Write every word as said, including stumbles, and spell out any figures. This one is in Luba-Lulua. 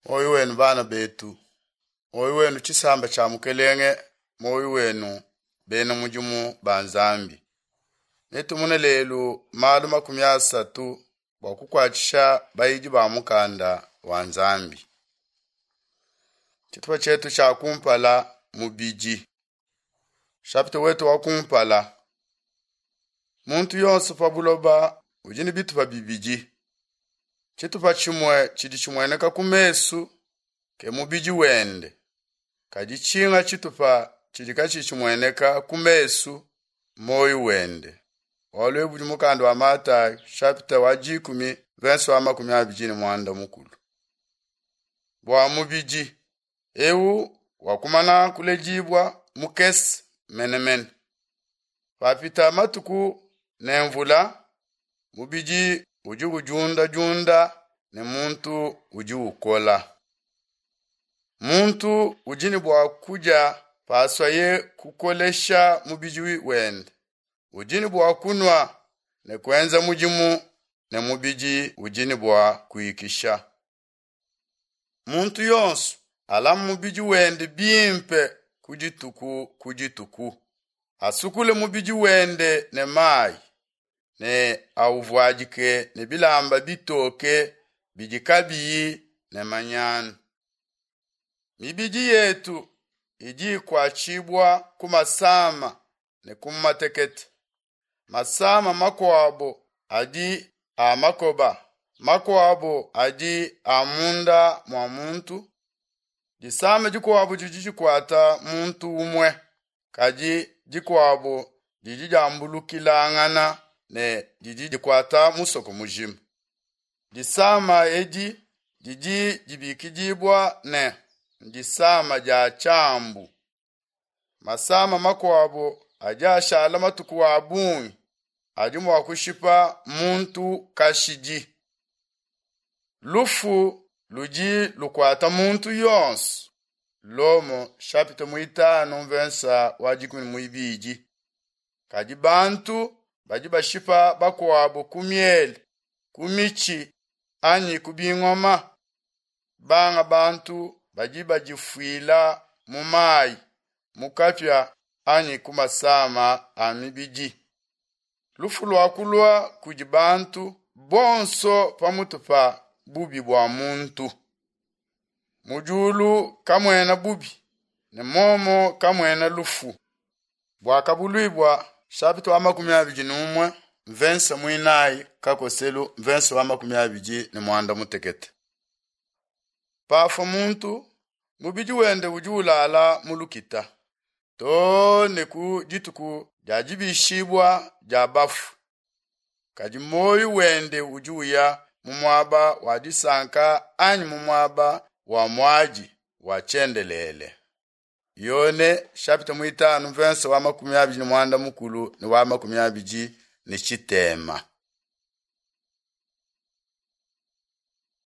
Muoyo wenu bana betu, muoyo wenu tshisamba tshia mukelenge, muoyo wenu bena mudimu ba Nzambi. Netumone lelu malu makumi asatu bua kukuatshisha bayidi ba mukanda wa Nzambi. Tshitupa tshietu tshia kumpala mubidi. Chapitre wetu wa kumpala. Muntu yonso pa buloba udi ne bitupa bibidi. Tshitupa tshimue tshidi tshimueneka ku mesu ke mubidi wende. Kadi tshinga tshitupa tshidi katshiyi tshimueneka ku mesu moyo wende. Bualu ebu budi mukanda wa Matayi chapitre wa dikumi verse wa makumi abidi ne muanda mukulu. Bua mubidi eu wakumana kuledibua mukese menemene. Papita matuku ne mvula mubidi udi udiundadiunda ne muntu udi ukola. Muntu udi ne bua kudia paswaye kukolesha mubidi wende. Udi ne bua kunua ne kuenza mudimu ne mubidi udi ne bua kuikisha. Muntu yonso alame mubidi wende bimpe ku dituku ku dituku. Asukule mubidi wende ne mayi ne awuvuadike ne bilamba bitoke bidi kabiyi ne manyanu. Mibidi yetu idi ikuatshibua ku masama ne ku matekete. Masama makuabo adi a makoba, makuabo adi a munda mua muntu. Disama dikuabo didi dikuata muntu umue, kadi dikuabo didi diambulukilangana ne didi dikuata musoko mujima. Disama edi didi dibikidibua ne ndisama dia tshiambu. Masama makuabo adi ashala matuku a bungi adi mua kushipa muntu kashidi. Lufu ludi lukuata muntu yonso. Lomo chapitre muitanu verse wa dikumi ne muibidi. Kadi bantu badi bashipa bakuabo ku miele, ku mitshi anyi ku bingoma. Banga bantu badi badifuila mu mayi, mu kapia anyi ku masama a mibidi. Lufu luakulua kudi bantu bonso pamutu pa bubi bua muntu. Mu diulu kamuena bubi ne momo kamuena lufu. Buakabuluibua chapitre wa makumi abidi ne umue verse muinayi kakoselu verse wa makumi abidi ne muanda mutekete. Pafua muntu mubidi wende udi ulala mu lukita too ne ku dituku dia dibishibua dia bafu. Kadi moyo wende udi uya mu muaba wa disanka anyi mu muaba wa muadi wa tshiendelele. Yone chapitre muitanu verse wa makumi abidi ne muanda mukulu ne wa makumi abidi ne tshitema.